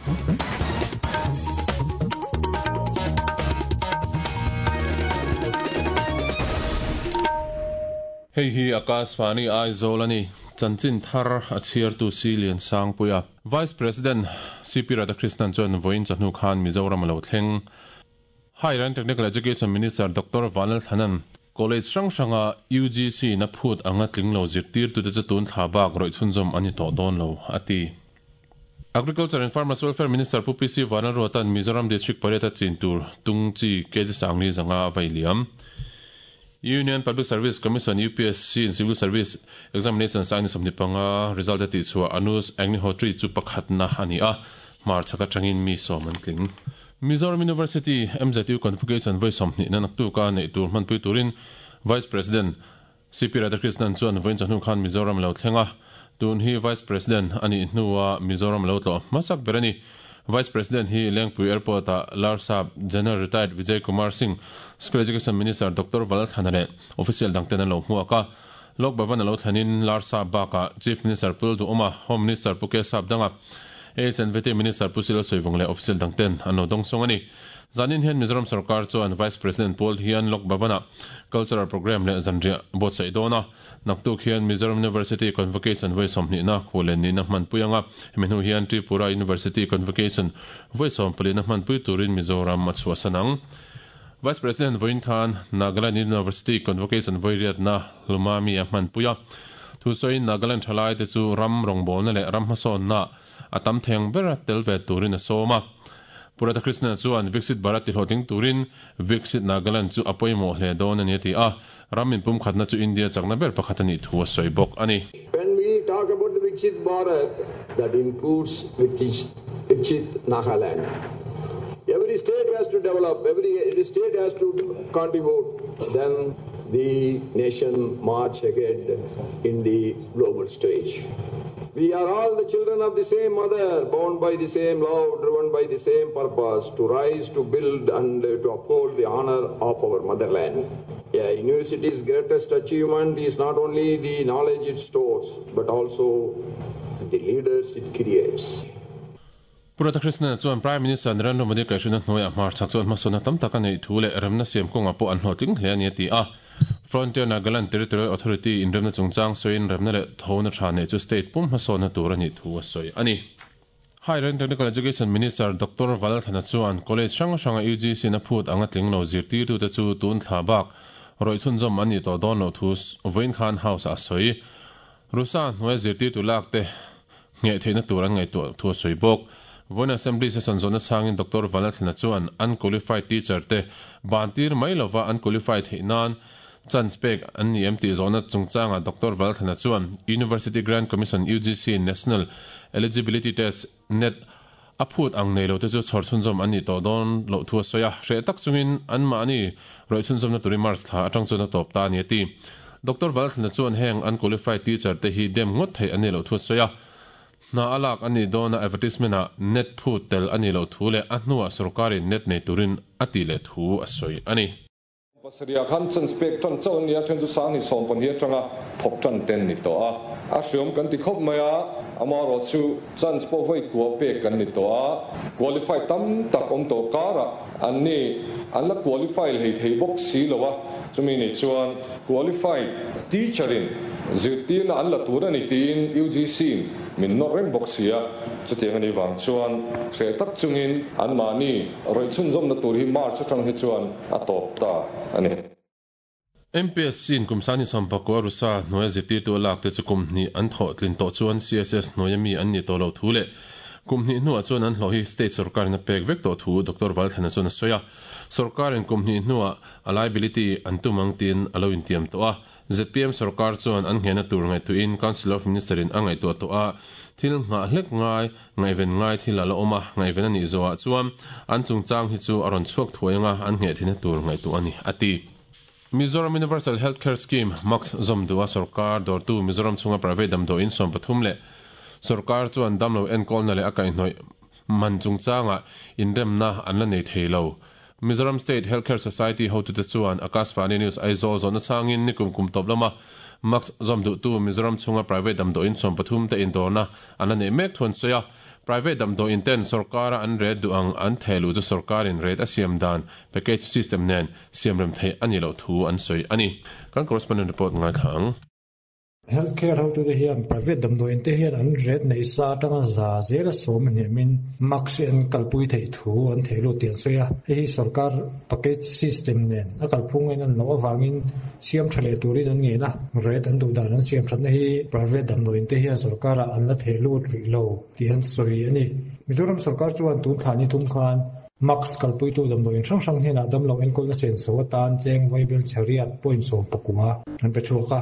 Hei hi Akashvani Aizawl a ni. Chanchin thar a chhiartu Si Lian Sangpuia. Vice President CP Radhakrishnan chuan vawiin chawhnu khan Mizoram a lo thleng. Higher and Technical Education Minister Doctor Vanlal Thanan College hrang hranga UGC in a phut anga tling lo zirtirtute chu tun thla bak rawih chhunzawm a ni tawh dawn lo, a ti. Agriculture and Farmers Welfare Minister Pu PC Vanlalruata'n Mizoram District pariat a chin tur tung chi kg sangli zanga a vai liam. Union Public Service Commission, UPSC, in Civil Service Examination sang ni 25 result a tihchhuah Anuj Agnihotri chu pakhatna a ni a, hmarchhak atangin mi sawm an tling. Mizoram University, MZU Convocation vawi 20 na naktuka neih tur hmanpui turin Vice President CP Radhakrishnan chuan vawiin chawhnu khan Mizoram a lo thleng a. Tun hi Vice President a nih hnua Mizoram a lo tlawh hmasak ber a ni. Vice President hi Lengpui Airport-ah Larsap General Retired Vijay Kumar Singh, School Education Minister Doctor Valalthana leh official dangten an lo hmuak a. Lok Bhavan a lo thlenin Larsap bakah Chief Minister Pu Lalduhawma, Home Minister Pu Kesap Danga, HNVT Minister Pu Silo Sawivung leh official dangten an lo dawngsawng a ni. Zanin hian Mizoram sorkar chuan Vice President Paul hian Lok Bhavan-ah Cultural Programme leh zanriah buatsaih dawn a. Naktuk hian Mizoram University Convocation vawi 20 na khualen nihna hmanpui anga hemi hnu hian Tripura University Convocation vawi 14 na hmanpui turin Mizoram a chhuahsan ang. Vice President vawiin khan Nagaland University Convocation vawi riatna Hlumami a hmanpui a. Thusawiin Nagaland thalaite chu ram rawngbawlna leh ram hmasawnna a tam theng ber a tel ve turin a sawm a. Pu Radhakrishnan chuan Viksit Bharat tihlawhtling turin Viksit Nagaland chu a pawimawh hle dawn a ni a ti a. Ram inpumkhatna chu India chakna ber pakhat a nih thu a sawi bawk a ni. When we talk about the Viksit Bharat, that includes Viksit Nagaland. Every state has to develop, every state has to contribute, then the nation march ahead in the global stage. We are all the children of the same mother, bound by the same love, driven by the same purpose, to rise, to build and to uphold the honor of our motherland. A university's greatest achievement is not only the knowledge it stores, but also the leaders it creates. Pu Radhakrishnan chuan Prime Minister Narendra Modi kaihhruina hnuaiah hmarchhak chuan hmasawnna tam tak a neih thu leh remna siam kawngah pawh an hlawhtling hle a ni a ti a. Frontier Nagaland Territorial Authority inremna chungchang sawiin remna leh thona tha neih chu state pum hmasawnna tur a nih thu a sawi a ni. Higher and Technical Education Minister Doctor Valalthana chuan college hrang hranga UGC-in a phut anga tling lo zirtirtute chu tun thla bak rawih chhunzawm an nih tawh dawn loh thu vawiin khan House-ah a sawi. Rusa hnuaia zirtirtu lak te ngheh theihna tur an ngaihtuah thu a sawi bawk. Vawiin Assembly session zawhna chhangin Doctor Valalthana chuan unqualified teacher te ban tir mai lova unqualified theih nan chance pek an ni em tih zawhna chungchangah Doctor Valalthana chuan University Grant Commission, UGC, National Eligibility Test, net, a phut ang nei lo te chu chhawr chhunzawm an nih tawh dawn loh thu a sawi a, hreh tak chungin anmahni rawih chhunzawmna turin March thla atang chuan a tawp ta a ni a ti. Doctor Valthlana chuan heng unqualified teacher te hi dem ngawt theih an nih loh thu a sawi a, hna a lak a nih dawna advertisement ah net phut tel a nih loh thu leh a hnuah sorkarin net nei turin a tih leh thu a sawi a ni. Pasarih ah khan chance pek tan chauh an ni a, then chu Sangni 12 atanga thawk tan ten ni tawh a. A hriawm kan ti khawp mai a, amaherawh chu chance pawh vawi kua pek kan ni tawh a, qualify tam tak awm tawh karah an ni an la qualify hlei thei bawk si lo a, chumi ni chuan qualified teacher in zirtirna an la tur a ni tiin UGC in min nawr reng bawk si a, chutiang a nih vang chuan hreh tak chungin anmahni rawih chhunzawmna tur hi March atang hi chuan a tawp ta a ni. MPSC in kum sani 19 Rusa hnuaia zirtirtu a lak te chu kum hnih an thawh tlin tawh chuan CSS hnuaia mi an nih tawh loh thu leh kum hnih hnuah chuan an hlawh hi state sorkarin a pek vek tawh thu Doctor Valthlana chuan a sawi a. Sorkarin kum hnih hnuah a liability an tum ang tiin a lo intiam tawh a. Zpm sorkar chuan an nghehna tur ngaihtuahin Council of Minister in a ngaihtuah tawh a, thil nghah hlek ngai, ngaihven ngai thil a la awm a, ngaihven a nih zawhah chuan an chungchang hi chu a rawn chhuak thuai anga an ngheh theihna tur ngaihtuah a ni, a ti. Mizoram Universal Health Care Scheme, MACS, zawm duh a sorkar dawrtu Mizoram chhunga private damdawiin 13 leh sorkar chuan damlo enkawlna leh a kaihhnawih man chungchangah inremna an la nei thei lo. Mizoram State Healthcare Society hotute chuan Akashvani News Aizawl zawhna chhangin nikum kum tawp lama MACS zawm duhtu Mizoram chhunga private damdawiin 13 te indawrna an la neih mek thu an sawi a. Private damdawiin ten sorkara an rate duh ang an theh luh chu sorkarin rate a siam dan package system nen siamrem theih a nih loh thu an sawi a ni. Kan correspondent report ngaithla ang. Health care hotute hian private damdawiin te hian an rate neih sa atanga za zela sawm a hniamin MACS hi an kalpui theih thu an theh lut tih an sawi a. Hei hi sorkar package system nen a kalphung en an loh avangin siam tha leh turin an ngen a, rate an duh dan an siam thatna hi private damdawiin te hian sorkarah an la theh lut rih lo tih an sawi a ni. Mizoram sorkar chuan tun thla ni thum khan MACS kalpuitu damdawiin hrang hrang hnenah damlo enkawlna senso atan cheng vaibel chhariat point 19 an pe chhuak a.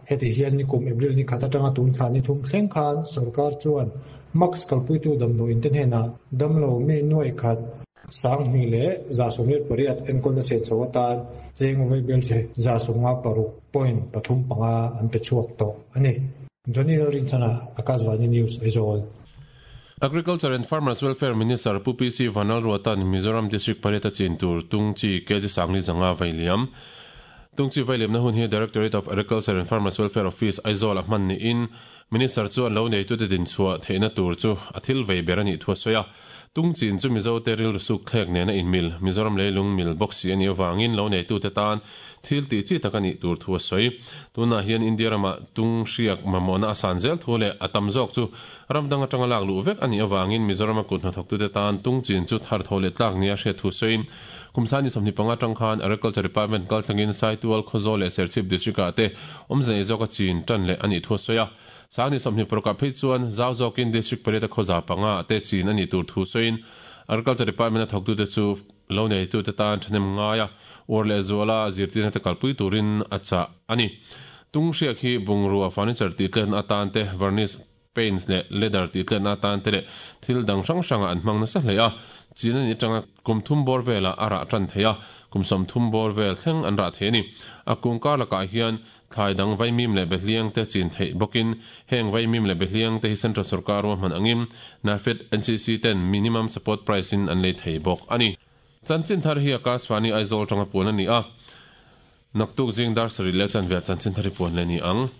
Heti hian nikum April ni khat atanga tun thla ni thum thleng khan sorkar chuan MACS kalpuitu damdawiin te hnenah damlo mi nuai khat, 2188 enkawlna senso atan cheng vaibel chhe 156.35 an pe chhuak tawh a ni. Johnny Lalrinchhana, Akashvani News, Aizawl. Agriculture and Farmers Welfare Minister Pu PC Vanlalruata'n Mizoram District pariat a chin tur tung chi kg 4,500 vailiam. Tung chi vailiamna hun hi Directorate of Agriculture and Farmers Welfare Office, Aizawl a hman niin Minister chuan lo neitute dinchhuah theihna tur chu a thil vei ber a nih thu a sawi a. Tung chin chu Mizote rilru suk thlek nena inmil, Mizoram leilung mil bawk si a nih avangin lo neitute tan thil tih chi tak a nih tur thu a sawi. Tunah hian India ramah tung hriak mamawhna a san zel thu leh a tam zawk chu ram dang atanga lak luh vek a nih avangin Mizorama kut hnathawktute tan tung chin chu thar tho leh tlak nia hriat thu sawiin kum 25 atang khan Agriculture Department kalthlangin Saitual, Khawzawl leh Serchhip District-ah te awmze nei zawka chin tan leh a nih thu a sawi a. 26 ah phei chuan zau zawkin District pariat a khawza panga te chin a nih tur thu sawiin Agriculture Department a thawktute chu lo neitute tan thahnem ngai a, uar leh zuala zirtirna te kalpui turin a chah a ni. Tung hriak hi bungrua furniture tih tletna atan te, varnish, paints leh leather tih tletna atan te leh thil dang hrang hrangah an hmang nasa hle a. Chin a nih atanga kum thum bawr velah a rah tan thei a, kum 30 bawr vel thleng an rah thei a ni. A kung kar lakah hian Thlai dang vaimim leh behliang te chin theih bawkin heng vaimim leh behliang te hi Central Sorkar ruahman angin NAFED, NCC ten minimum support price in an lei thei bawk a ni. Chanchin thar hi Akashvani Aizawl tanga puan a ni a, naktuk zing dar sarih leh chanve ah chanchin thar hi puan leh a ni ang.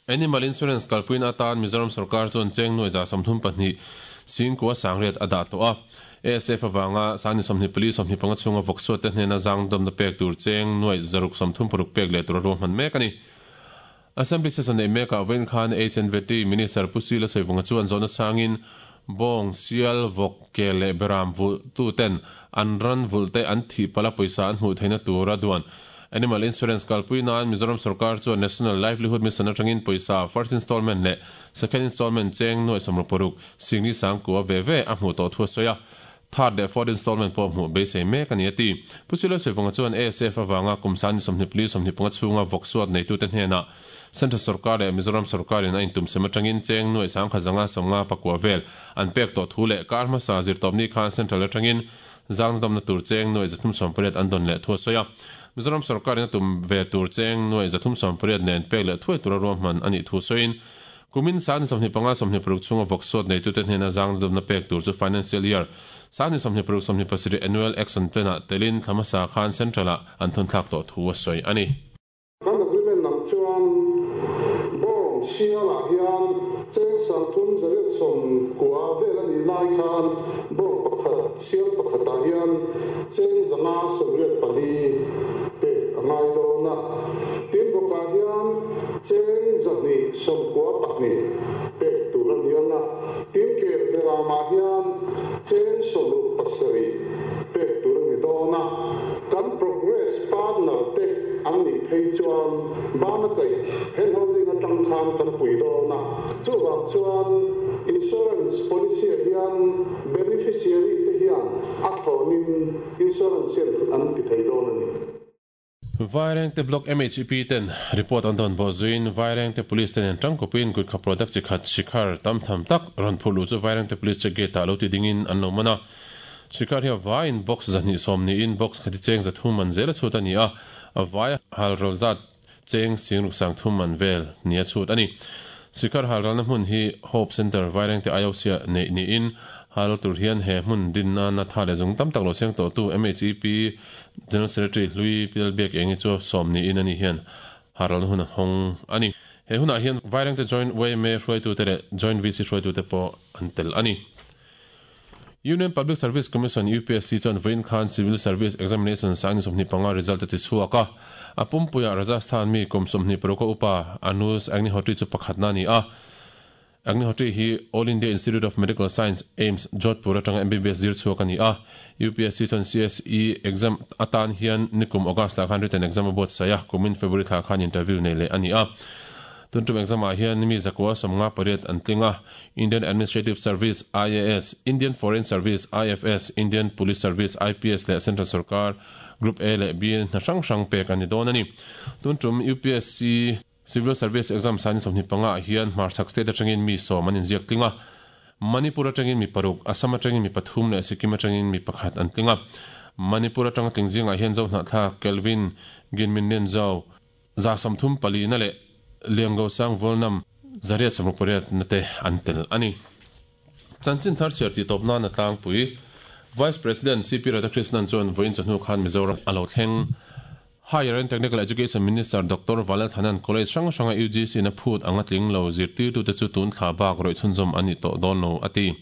Animal Insurance kalpuina atan Mizoram Sorkar chuan cheng nuai 32 singkua sangriat a dah tawh a. ASF avanga 24 25 chhunga vawksuat te hnena zang dawmna pek tur cheng nuai 636 pek leh tur a ruahman mek a ni. Assembly session nei mekah vawiin khan HNVT Minister Pu Sila Sawivunga chuan zawhna changin bawng, sial, vawk, ke leh beram vulh tu ten an ran vulh te an thih pala pawisa an hmuh theihna tura duan Animal Insurance kalpui nan Mizoram Sorkar chuan National Livelihood Mission atangin pawisa first installment leh second installment cheng nuai 66 singli sangkua ve ve a hmuh tawh thu a sawi a. Third leh fourth installment pawh hmuh beisei mek a ni a ti. Pu Silo Sivunga chuan ASF avanga kum 24 25 chhunga vawksuat neitute hnenah Central Sorkar leh Mizoram Sorkarin a intumsem atangin cheng nuai 1,059 vel an pek tawh thu leh kar hmasa zirtawpni khan Central atangin zangna dawmna tur cheng nuai 380 an dawn leh thu a sawi a. Mizoram Sorkarin a tum ve tur cheng nuai 380 nen pek leh thuai tura ruahman a nih thu sawiin kumin 25 26 chhunga vawksuat neitute hnena zangna dawmna pek tur chu financial year 26 27 annual action plan ah telin thlamasa khan Central ah an thun thlak tawh thu a sawi a ni. Kan agreement lam chuan bawng sialah hian cheng 390 vel a nih lai khan bawng pakhat sial pakhatah hian cheng 584 pek a ngai dawn a. Tin bawkah hian cheng 292 pek tur a ni ang a. Tin kel beramah hian cheng 67 pek tur a ni dawn a. Kan progress partner te an nih phei chuan bana kaih hand holding atang khan kan pui dawn a. Chuvang chuan insurance policy ah hian beneficiary te hian a thlawnin insurance hian an ti thei dawn a ni. Vairengte Block MHEP ten report an dawn bawh zuiin Vairengte Police ten an tangkawpin Gurkha product chi khat Shikhar tam tham tak rawn phurh luh chu Vairengte Police check gate ah lo ti dingin an lo man a. Shikhar hi a vaiin box 210 niin box khati cheng 300 man zel a chhut a ni a, a vai hal ral zat cheng singruk 30 man vel ni a chhut a ni. Shikhar hal ralna hmun hi Hope Center Vairengte IOC ah neih niin Hal tur hian he hmun din nana tha leh zung tam tak lo seng tawhtu MHEP General Secretary Hlui Pi Lalbiakengi chu sawm niin ani hian haralna hun a hawng a ni. He hunah hian Vairengte Joint yma hruaitute leh Joint VC hruaitute pawh an tel a ni. Union Public Service Commission, UPSC, chuan vawiin khan Civil Service Examination 2025 result a ti chhuak a. A pumpuiah Rajasthan mi kum 26 a upa Anuj Agnihotri chu pakhatna a ni a. Agnihotri hi All India Institute of Medical Science, AIIMS, Jodhpur atanga MBBS zir chhuak a ni a. UPSC chuan CSE exam atan hian nikum August ah khan written exam a buatsaih a, kumin February thla khan interview nei leh a ni a. Tun tum exam ah hian mi zakua 58 an tling a, Indian Administrative Service, IAS, Indian Foreign Service, IFS, Indian Police Service, IPS, leh Central Sorkar Group A leh B hna hrang hrang pek a ni dawn a ni. Tun tum UPSC Civil Service Exam 2025 ah hian Hmarchhak State atangin mi sawm an inziak tling a, Manipur atangin mi paruk, Assam atangin mi pathum leh Sikkim atangin mi pakhat an tling a. Manipur atanga tling zingah hian Zohnahthlak Kelvin Ginminlian Zau, 34% na leh Liangosang Vualnam 168 na te an tel a ni. Chanchin thar chhiar tih tawp nana tlangpui Vice President CP Radhakrishnan chuan vawiin chawhnu khan Mizoram a lo thleng. Higher and Technical Education Minister Doctor Valalthanan College hrang hranga UGC na phut anga tling lo zirtirtute chu tun thla bak rawih chhunzawm an ni tawh dawn lo a ti.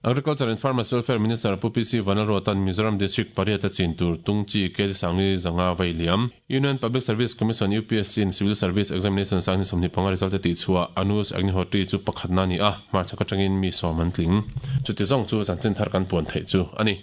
Agriculture and Farmers Welfare Minister Pu PC Vanlalruata'n Mizoram District pariat a chin tur tung chi kg sangli zanga vei liam. Union Public Service Commission, UPSC, in Civil Service Examination 2025 result a tihchhuah Anuj Agnihotri chu pakhatna a ni a, hmarchhak atangin mi sawm an tling. Chuti zawng chu chanchin thar kan puan theih chu a ni.